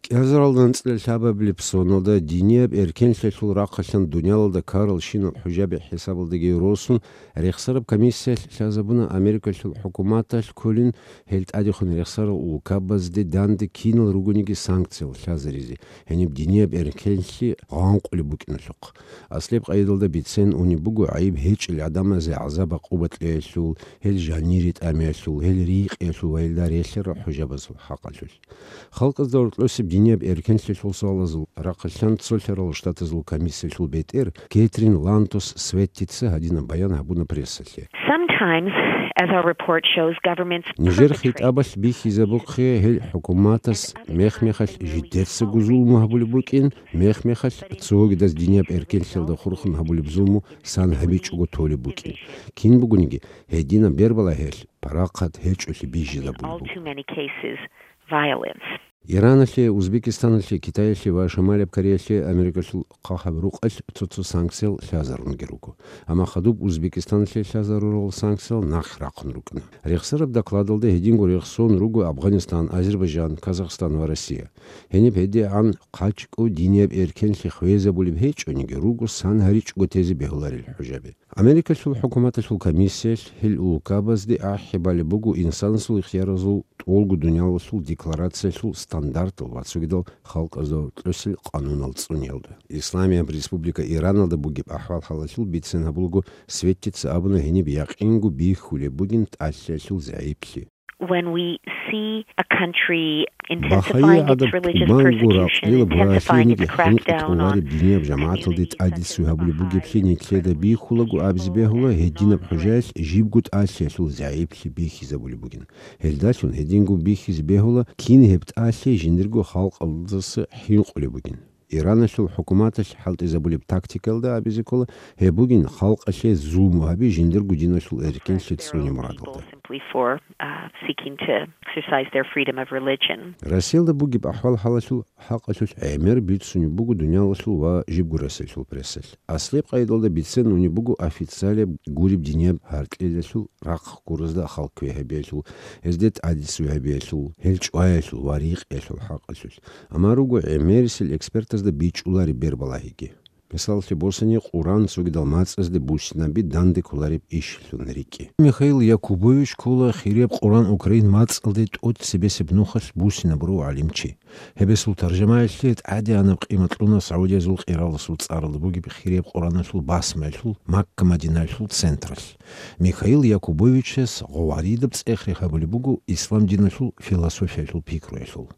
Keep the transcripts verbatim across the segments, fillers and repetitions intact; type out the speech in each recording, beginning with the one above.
КӀиазаралда анцӀила лъабабилеб соналда динияб эркенлъиялъул рахъалъан дуниялалда ккарал щинал хӀужаби хӀисабалдаги росун, рехсараб комиссиялъ лъазабуна Америкалъул хӀукуматалъ кколин гьел тӀадехун рехсарал улкабазде данде кинал ругониги санкциял лъазаризе, гьениб динияб эркенлъи гъанкъулеб букӀиналъухъ. Аслияб къайдалда бицен унеб буго гӀайиб гьечӀел гӀадамазе гӀазаб-гӀакъуба кьеялъул, гьел жанире тӀамиялъул, гьел рийкъиялъул ва гьелда релълъарал хӀужабазул хӀакъалъулъ. Халкъазда гьоркьосеб динияб эркенлъиялъул суалазул рахъалъан цолъарал штатазул комиссиялъул бетӀер Кэтрин Лантос Светтица гьадинаб баян гьабуна прессалъе. Sometimes, as our report shows, governments Нижер perpetrate хитӀабалъ бихьизабухъе гьел хӀукуматас мех-мехалъ жидецаго зулму гьабулеб букӀин, мех-мехалъ цогидаз динияб эркенлъиялда хурхун гьабулеб зулму сан гьабичӀого толеб букӀин. Кин бугониги, гьединаб бербалагьиялъ парахъат гьечӀолъи бижизабулеб буго. All too many cases, violence. Ираналъе, Узбекистаналъе, Китаялъе ва Шамалияб Кореялъе Америкалъул хъахӀаб рукъалъ цо-цо санкциял лъазарунги руго. Амма хадуб Узбекистаналъе лъазарурал санкциял нахъ рахъун рукӀана. Рехсараб докладалда гьединго рехсон руго Афганистан, Азербайджан, Казахстан ва Россия. Гьениб гьедигӀан хъачӀго динияб эркенлъи хвезабулеб гьечӀониги, руго сан гьаричӀого тезе бегьуларел хӀужаби. Америкалъул хӀукуматалъул комиссиялъ гьел улкабазде ахӀи балеб буго инсанасул ихтияразул тӀолго дуниялалъул декларациялъул стандартал ва цогидал халкъазда гьоркьосел къанунал цӀуниялда. Исламияб Республика Ираналда бугеб ахӀвал-хӀалалъул бицен гьабулаго, Светтица абуна, гьениб якъинго бихьулеб бугин тӀалъиялъул загӀиплъи. When we see a country Бахайи intensifying its гӀадаб religious тӀубанго persecution, ракълилаб ва intensifying its гьениги хӀинкъи crackdown on тӀолареб динияб жамагӀаталде тӀадицуе гьабулеб бугеблъи нилъеда бихьулаго абизе бегьула, гьединаб хӀужаялъ жибго тӀалъиялъул загӀиплъи бихьизабулеб бугин. Гьелдалъун гьединго бихьизе бегьула, кин гьеб тӀалъи жиндирго халкъалдаса хӀинкъулеб бугин. Ираналъул хӀукуматалъ хӀалтӀизабулеб тактикаялда абизе ккола, гьеб бугин халкъалъе зулму гьаби жиндирго диналъул эркенлъи цӀуне мурадалда. Simply for, uh, seeking to exercise their freedom of religion. Россиялда бугеб ахӀвал-хӀалалъул хӀакъалъулъ гӀемер бицунеб буго дуниялалъул ва жибго Россиялъул прессалъ. Аслияб къайдалда бицен унеб буго официалияб гуреб динияб гьаркьилалъул рахъ гуразда халкъ квегьабиялъул, гьезде тӀадицуе гьабиялъул, гьел чӀваялъул ва рикъиялъул хӀакъалъулъ. Амма руго гӀемерисел экспертазда бичӀчӀулареб бербалагьиги. Мисаллъи босани, Къуран цогидал мацӀазде буссинаби данде кколареб ишилъун рикӀкӀи. Михаил Якубович ккола хирияб Къуран украин мацӀалде тӀоцебесеб нухалъ буссинабурав гӀалимчи. Гьебесул таржамаялъе тӀадегӀанаб къимат кьуна Саудиязул къираласул цӀаралда бугеб хирияб Къураналъул басмаялъул Макка-Мадинаялъул централъ. Михаил Якубовичас гъоваридаб цӀех рехабулеб буго ислам диналъул философиялъул пикруялъул.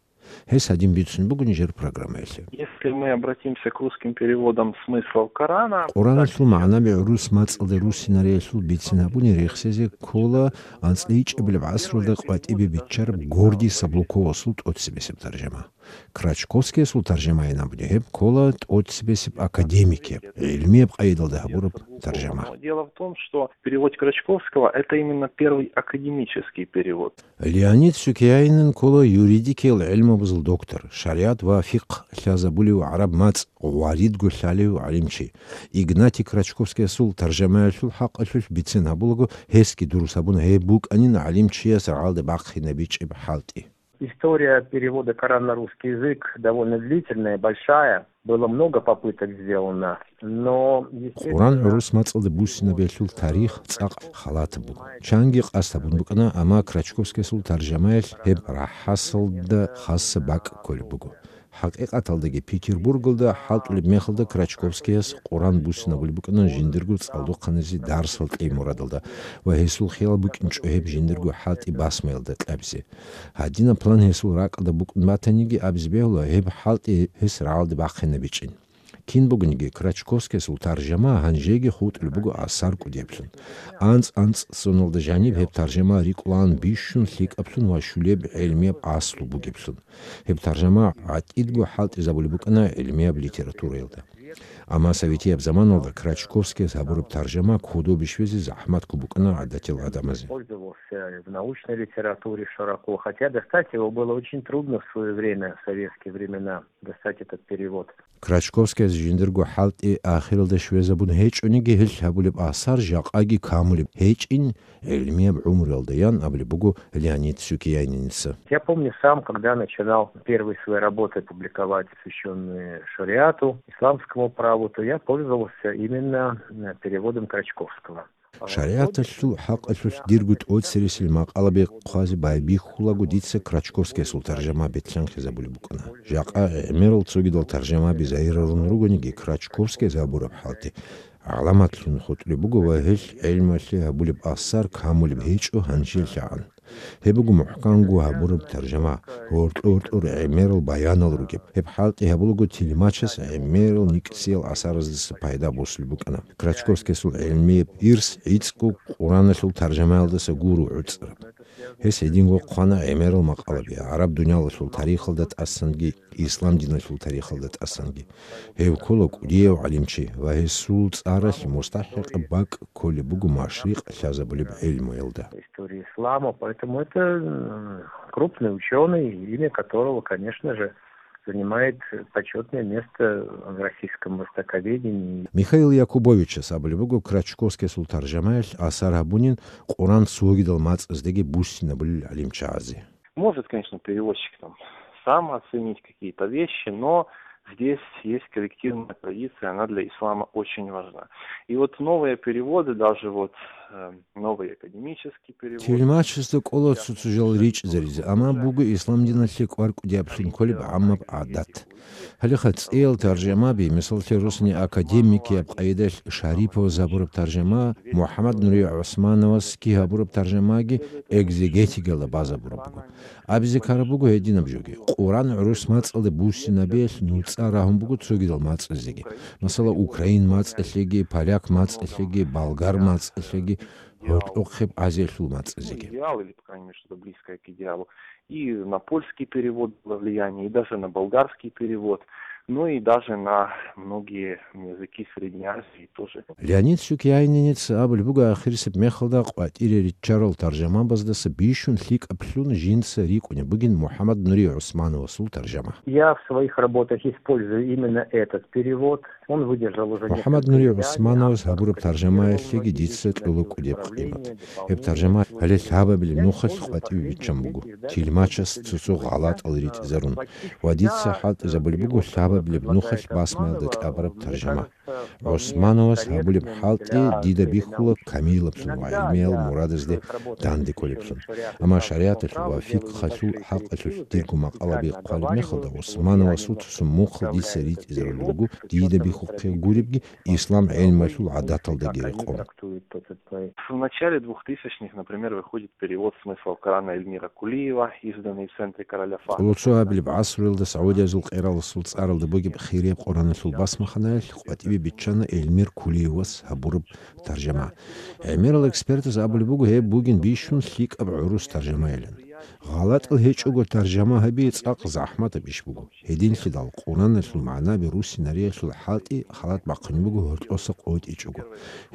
Гьес гьадин бицун буго нижер программаялъе. Если мы обратимся к русским переводам смыслов Корана, Къураналъул магӀнаби гӀурус мацӀалде руссинариялъул бицин гьабуни рехсезе ккола анцӀила ичӀабилеб гӀасралда къватӀибе биччараб Гордий Саблуковасул тӀоцебесеб таржама. Крачковскиясул таржамаин абуни гьеб ккола тӀоцебесеб академикияб, гӀилмияб къайдалда гьабураб таржама. Но дело в том, что перевод Крачковского — это именно первый академический перевод. Леонид Сюкяинин ккола юридикиял гӀилмабазул доктор, шаригӀат ва фикъгь лъазабулев, гӀараб мацӀ гъваридго лъалев гӀалимчи. Игнатий Крачковскиясул таржамаялъул хӀакъалъулъ бицен гьабулаго, гьесги дурус гьабуна, гьеб букӀанин гӀалимчияс рагӀалде бахъинабичӀеб хӀалтӀи. История перевода Корана на русский язык довольно длительная, большая. Было много попыток сделано, но, естественно, Къуран гӀурус мацӀалде буссинабиялъул тарих цӀакъ халатаб буго. Чанги къасд гьабун букӀана, амма Крачковскиясул таржамаялъ гьеб рахӀасалда хаса бакӀ кколеб буго. ХӀакъикъаталдаги, Петербургалда хӀалтӀулеб мехалда Крачковскияс Къуран буссинабулеб букӀана жиндирго цӀалдохъаназе дарсал кьей мурадалда ва гьесул хиял букӀинчӀо гьеб жиндирго хӀалтӀи басмаялда кьабизе. Гьадинаб план гьесул ракӀалда букӀун батаниги, абизе бегьула, гьеб хӀалтӀи гьес рагӀалде бахъинабичӀин. Кин бугониги, Крачковскиясул таржама гьанжеги хутӀулеб буго асар кӀудиблъун. АнцӀ-анцӀ соналда жаниб гьеб таржама рикӀкӀулаан бищун лъикӀаблъун ва щулеб гӀелмияб аслу бугеблъун. Гьеб таржама гӀатӀидго хӀалтӀизабулеб букӀана гӀелмияб литератураялда. Амма советияб заманалда Крачковскияс гьабураб таржама кодобе щвезе захӀматго букӀана гӀадатиял гӀадамазе. Пользовался в научной литературе широко, хотя достать его было очень трудно в своё время, в советские времена, достать этот перевод. Крачковскияс Жиндирго хӀалтӀи ахиралда щвезабун гьечӀониги, гьел гьабулеб асар жакъаги камулеб гьечӀин гӀилмияб гӀумруялда, ян абулеб буго Леонид Сюкияйниница. Я помню сам, когда начинал первые свои работы публиковать, посвящённые шариату, исламскому праву, то я пользовался именно, э, переводом Крачковского. ШаригӀаталъул хӀакъалъулъ дирго тӀоцересел макъалаби хъвазе байбихьулаго дица Крачковскиясул таржама бетӀлъанхъизабулеб букӀана. Жакъа гӀемерал цогидал таржамаби загьирарун ругониги, Крачковскияс гьабураб хӀалтӀи гӀаламатлъун хутӀулеб буго ва гьел гӀелмалъе гьабулеб асар камулеб гьечӀо гьанжелъагӀан. Гьеб буго мухӀканго гьабураб таржама, гьоркьор-гьоркьор гӀемерал баянал ругеб. Гьеб хӀалтӀи гьабулаго тилмачас гӀемерал никӀсиял асараздаса пайда босулеб букӀана. Крачковскиясул гӀелмияб ирс гӀицӀго Къураналъул таржамаялдаса гуро гӀуцӀараб. Гьес гьединго хъвана гӀемерал макъалаби гӀараб дуниялалъул тарихалда тӀасанги, ислам диналъул тарихалда тӀасанги. Гьев ккола кӀудияв гӀалимчи ва гьесул цӀаралъ мустахӀикъаб бакӀ кколеб буго машрикъ лъазабулеб гӀелмуялда. История ислама, поэтому это, м, крупный учёный, имя которого, конечно же, занимает почётное место в российском востоковедении. Михаил Якубовичас абулеб буго, Крачковскиясул таржамаялъ асар гьабунин Къуран цогидал мацӀаздеги буссинабулел гӀалимчагӀазе. Может, конечно, переводчик там сам оценить какие-то вещи, но здесь есть коллективная традиция, она для ислама очень важна. И вот новые переводы, даже вот, э, новый академический перевод. Тилмачасда кӀола цо-цо жал ричӀзаризе, амма буго ислам диналъе кӀвар кӀудияблъун кколеб гӀаммаб гӀадат. Гьалеха цӀиял таржамаби, мисаллъе, росни академикияб къайдалъ Шариповас гьабураб таржама, МухӀаммад Нури ГӀусмановасги гьабураб таржамаги экзегетикалда базабураб буго. Абизе ккараб буго гьединаб жоги. Къуран гӀурус мацӀалде буссинабиялъ нуцӀа рагьун буго цогидал мацӀазеги. Масала, украин мацӀалъеги, поляк мацӀалъеги, болгар мацӀалъеги, гьоркьохъеб Азиялъул мацӀазеги. Идеал или, по крайней мере, что-то близкое к идеалу. И на польский перевод было влияние, и даже на болгарский перевод, ну и даже на многие языки Средней Азии тоже. Леонид Сюкияйнинец абулеб буго, ахирисеб мехалда къватӀире риччарал таржамабаздаса бищун лъикӀаблъун жинца рикӀкӀунеб бугин МухӀаммад Нури ГӀусмановасул таржама. Я в своих работах использую именно этот перевод. Он выдержал уже несколько изданий. МухӀаммад Нури ГӀусмановас гьабураб таржамаялъеги дица кьола кӀудеб къимат. Гьеб таржама гьале лъабабилеб нухалъ къватӀиве биччан буго. Тилмачас цо-цо гъалатӀал ритӀизарун. Ва дица хӀалтӀизабулеб буго лъабабилеб нухалъ басмаялда кьабараб таржама. ГӀусмановас гьабулеб хӀалтӀи дида бихьула камиллаблъун ва гӀилмиял мурадазде данде кколеблъун. Амма шаригӀаталъул ва фикъгьалъул хӀакъалъулъ дирго макъалаби хъвалеб мехалда, ГӀусмановасул цо-цо мухъал дица ритӀизарулел руго, дида бихьухъе гуребги, ислам гӀелмалъул гӀадаталдаги рекъон. В начале двухтысячных, например, выходит перевод «Смысл Корана» Эльмира Кулиева, изданный в центре Короля Фахда. Къоло цоабилеб гӀасруялда Саудиязул къераласул цӀаралда бугеб хирияб Къураналъул басмаханаялъ къватӀибе биччана Эльмир Кулиевас гьабураб таржама. ГӀемерал экспертаз абулеб буго, гьеб бугин бищун лъикӀаб гӀурус таржамайилан. ГъалатӀал гьечӀого таржама гьаби цӀакъ захӀматаб иш буго. Гьединлъидал Къураналъул магӀнаби руссинариялъул хӀалтӀи халат бахъунеб буго гьоркьоса къотӀичӀого.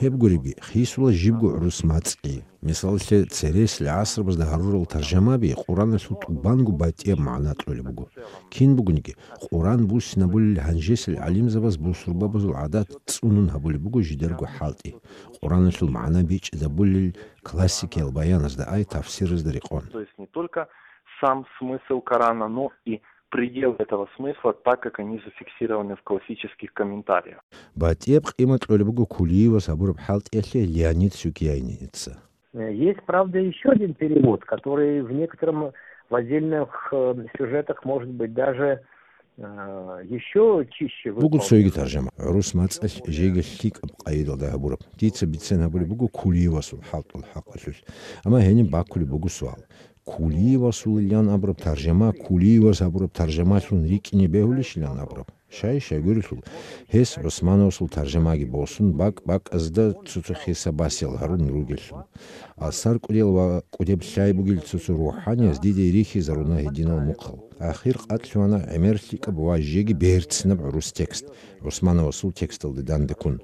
Гьеб гуребги, хисула жибго гӀурус мацӀги. Мисаллъе, цересел гӀасрабазда гьарурал таржамаби Къураналъул тӀубанго батӀияб магӀна кьолеб буго. Кин бугониги, Къуран буссинабулел гьанжесел гӀалимзабаз бусурбабазул гӀадат цӀунун гьабулеб буго жидерго хӀалтӀи. Къураналъул магӀна бичӀчӀизабулел классикиял баяназда ай тафсиразда рекъон. То есть не только сам смысл Корана, но и пределы этого смысла, так как они зафиксированы в классических комментариях. БатӀияб къимат кьолеб буго Кулиевас гьабураб хӀалтӀиялъе Леонид Сюкияйница. Э, есть, правда, ещё один перевод, который в некотором, в отдельных, э, сюжетах, может быть, даже, э, ещё чище выполнен. Буго цоги таржама, гӀурус мацӀалъ жеги лъикӀаб къайдалда гьабураб. Дица бицен гьабулеб буго Кулиевасул хӀалтӀул хӀакъалъулъ. Амма гьениб баккулеб буго суал. Кулиевасулилан абураб таржама Кулиевас гьабураб таржамалъун рикӀкӀине бегьулищилан абураб? Щай-щай гурелъул, гьес ГӀусмановасул таржамаги босун, бакӀ-бакӀазда цо-цо хиса-басиял гьарун ругелъул. Асар кӀудиял ва кӀудеб лъай бугел цо-цо рухӀанияз диде рихьизаруна гьединал мухъал. Ахир къатӀлъугьана гӀемер лъикӀаб ва жеги берцинаб гӀурус текст, ГӀусмановасул тексталде дандеккун.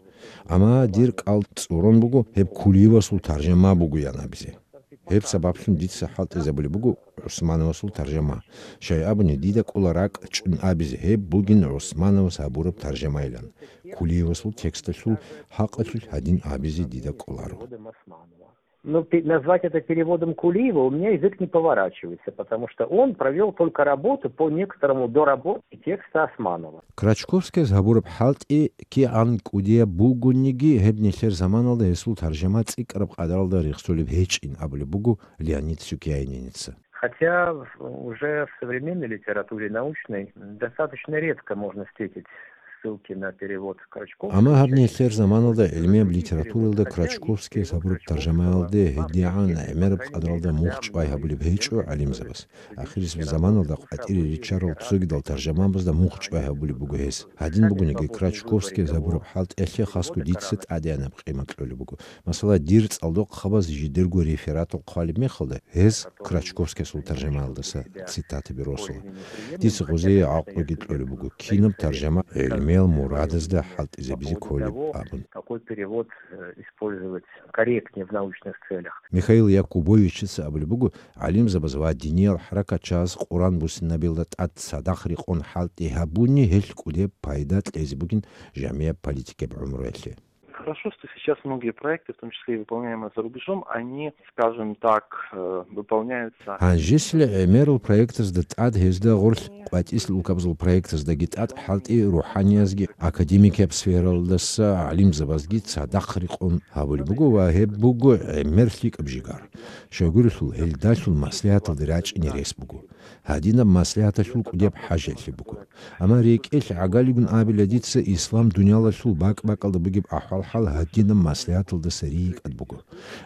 Амма дир кӀал цӀурун буго гьеб Кулиевасул таржама бугоян абизе. Гьеб сабаблъун дица хӀалтӀизабулеб буго ГӀусмановасул таржама. Щай абуни, дида кӀола ракӀчӀун абизе гьеб бугин ГӀусмановас гьабураб таржамайилан. Кулиевасул тексталъул хӀакъалъулъ гьадин абизе дида кӀоларо. Ну, пе- назвать это переводом Кулиева у меня язык не поворачивается, потому что он провел только работу по некоторому доработке текста Османова. Крачковскияс гьабураб хӀалтӀи кигӀан кӀудияб бугониги, гьеб нилъер заманалда гьесул таржама цӀикӀкӀараб къадаралда рехсолеб гьечӀин абулеб буго Леонид Сюкяйниница. Хотя уже в современной литературе научной достаточно редко можно встретить ссылки на перевод Крачковского. Амма гьаб нилъер заманалда гӀилмияб литературалда Крачковскияс гьабураб таржамаялде гьедигӀан гӀемераб къадралда мухь чӀвай гьабулеб гьечӀо гӀалимзабаз. Ахирисеб заманалда къватӀире риччарал цогидал таржамабазда мухь чӀвай гьабулеб буго гьес. Гьадин бугониги, Крачковскияс гьабураб хӀалтӀиялъе хасго дица тӀадегӀанаб къимат кьолеб буго. Масала, дир цӀалдохъабаз жидерго рефератал хъвалеб мехалда, гьез Крачковскиясул таржамаялдаса цитатаби росула. Дица гъозие гӀакълуги кьолеб буго, кинаб таржама гӀелмиял мурадазда хӀалтӀизабизе кколеб абун. Какой перевод э, использовать корректнее в научных целях? Михаил Якубовичица абулеб буго, гӀалимзабаз ва диниял хӀаракатчияз Къуран буссинабиялда тӀад цадахъ рекъон хӀалтӀи гьабуни гьелъ кӀудеб пайда кьезе бугин жамияб политикияб гӀумруялъе. Хорошо, что сейчас многие проекты, в том числе и выполняемые за рубежом, они, скажем так, э, выполняются. Гьанжесила гӀемерал проектазда тӀад гьезда гъорлъ къватӀисел улкабазул проектаздаги тӀад хӀалтӀи рухӀаниязги академикияб сфералдаса гӀалимзабазги цадахъ рекъон гьабулеб буго ва гьеб буго гӀемер лъикӀаб жигар. Щайгурелъул гьелдалъун маслигӀаталде рачӀине рес буго. Гьадинаб маслигӀаталъул кӀудияб хӀажалъи буго. Амма рекӀелъ гӀагалигун абила дица, ислам дуниялалъул бакӀ-бакӀалда бугеб ахӀвал-хӀал гьадинаб маслигӀаталдаса рикӀкӀад буго.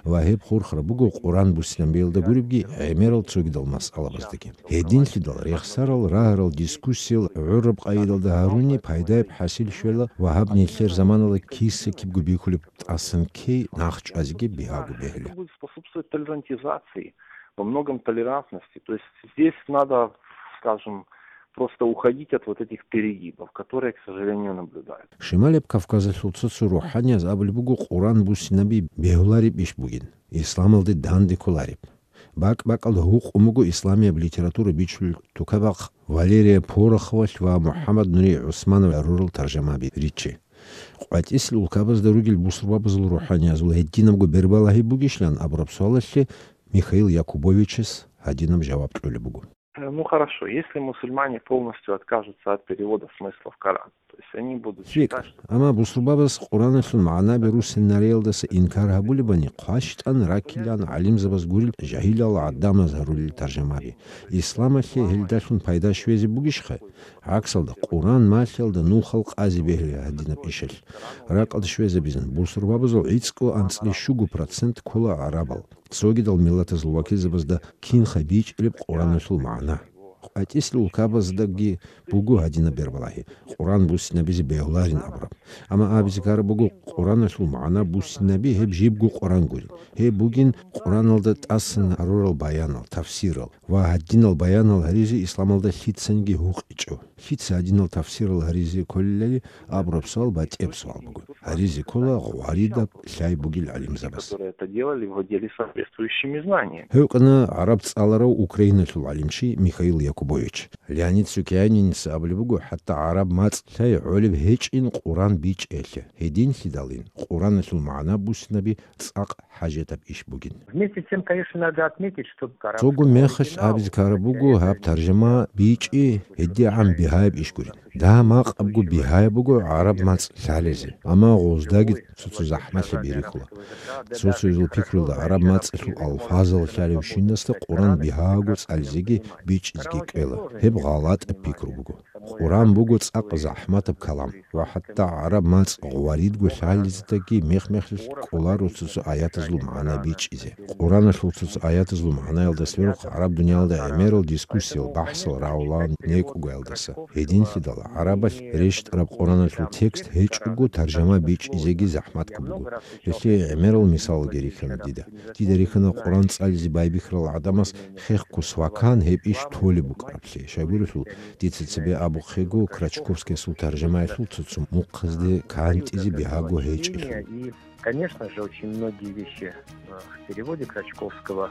Ва гьеб хурхараб буго Къуран буссинабиялда гуребги гӀемерал цогидал масъалабаздаги. Гьединлъидал рехсарал, рагьарал дискуссиял гӀураб къайдалда гьаруни пайдаяб хӀасил щвела ва гьаб нилъер заманалда киса-кибго бихьулеб тӀасан ккей нахчӀвазеги бигьаго бегьула. Будет способствовать толерантизации, во многом толерантности. То есть здесь надо, скажем, просто уходить от вот этих перегибов, которые, к сожалению, наблюдаются. Шималеб Кавказалъул цо-цо рухӀанияз абулеб буго Къуран буссинаби бегьулареб иш бугин, исламалде данде кколареб. БакӀ-бакӀалда гьукъун буго исламияб литература бичулел тукабахъ Валерия Пороховалъ ва МухӀаммад Нури ГӀусманов гьарурал таржамаби риччи. КъватӀисел улкабазда ругел бусурбабазул рухӀаниязул гьединабго бербалагьи бугищилан абураб суалалъе Михаил Якубовичас гьадинаб жаваб кьолеб буго. Э, Ну хорошо, если мусульмане полностью откажутся от перевода смыслов Корана, то есть они будут считать, ЛъикӀ, амма бусурбабаз Къураналъул магӀнаби руссинариялдаса инкар гьабулебани, хъващтӀан раккилан гӀалимзабаз гурел жагьилал гӀадамаз гьарулел таржамаби. Исламалъе гьелдалъун пайда щвезе бугищха? ГӀаксалда, Къуран малъиялда нухал къазе бегьила гьадинаб ишалъ. Ракъалда щвезабизан, бусурбабазул гӀицӀго анцӀила щуго процент ккола гӀарабал. Цогидал миллатазул вакилзабазда кинха бичӀчӀилеб Къураналъул магӀна. КъватӀисел улкабаздаги буго гьадинаб бербалагьи, Къуран буссинабизе бегьуларин абураб. Амма абизе ккараб буго, Къураналъул магӀна буссинаби гьеб жибго Къуран гурин. Гьеб бугин Къураналда тӀасан гьарурал баянал, тафсирал ва гьадинал баянал гьаризе исламалда лъицаниги гьукъичӀо. Лъица гьадинал тафсирал гьаризе кколелали абураб суал батӀияб суал буго. Гьаризе ккола гъваридаб лъай бугел гӀалимзабаз. которые это делали, владели соответствующими знаниями. Гьев кьана гӀараб цӀаларав Украиналъул гӀалимчи Михаил Якубович. Леонид Сукьянинца абулеб буго, хӀатта гӀараб мацӀ лъай гӀолеб гьечӀин Къуран бичӀчӀиялъе. Гьединлъидалин Къураналъул магӀна буссинаби цӀакъ хӀажатаб иш бугин. Вместе с тем, конечно, надо отметить, что Цого мехалъ абизе ккараб буго, гьаб таржама бичӀчӀи гьедигӀан бигьаяб иш гурин. Дагь-макъабго бигьаяб буго гӀараб мацӀ лъалезе, амма гъоздаги цо-цо захӀмалъи бирихьула. Цо-цоязул пикрулда гӀараб мацӀалъул алфазал лъалевщинасда Къуран бигьаго цӀализеги бичӀчӀизеги кӀвела. Гьеб гъалатӀаб пикру буго. Къуран буго цӀакъ захӀматаб калам, ва хӀатта гӀараб мацӀ гъваридго лъалездаги мех-мехалъ кӀоларо цо-цо аятазул магӀна бичӀчӀизе. Къураналъул цо-цо аятазул магӀнаялдаса верухъ гӀараб дуниялда гӀемерал дискуссиял, бахӀсал рагӀулаан некӀугаялдаса. Гьединлъидал гӀарабалъ рещтӀараб Къураналъул текст гьечӀого таржама бичӀчӀизеги захӀматго буго. Гьелъие гӀемерал мисалалги рихьана дида. Дида рихьана Къуран цӀализе байбихьарал гӀадамас хехго свакан гьеб иш толеб буго. гьабулеб. Щайгурелъул, дица цебе абухъего, Крачковскиясул таржамаялъул цо-цо мухъазде кантӀизе бигьаго гьечӀелъул. И, конечно же, очень многие вещи, э, в переводе Крачковского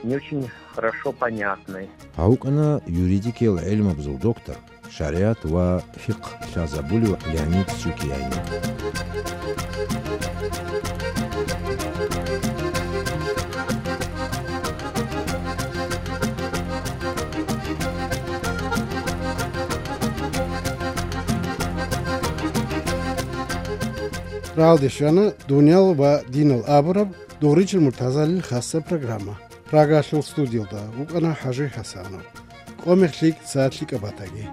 не очень хорошо понятны. Гьав вукӀана юридикиял гӀелмабазул доктор, шаригӀат ва фикъгь лъазабулев Леонид Сюкияни. Рагьалде щвана дуниял ва динал абураб Дугъричил Муртазалил хасаб программа. Прагалъул студиялда вукӀана ХӀажи ХӀасанов. Къо-мех лъикӀ, сагӀат лъикӀаб батаги.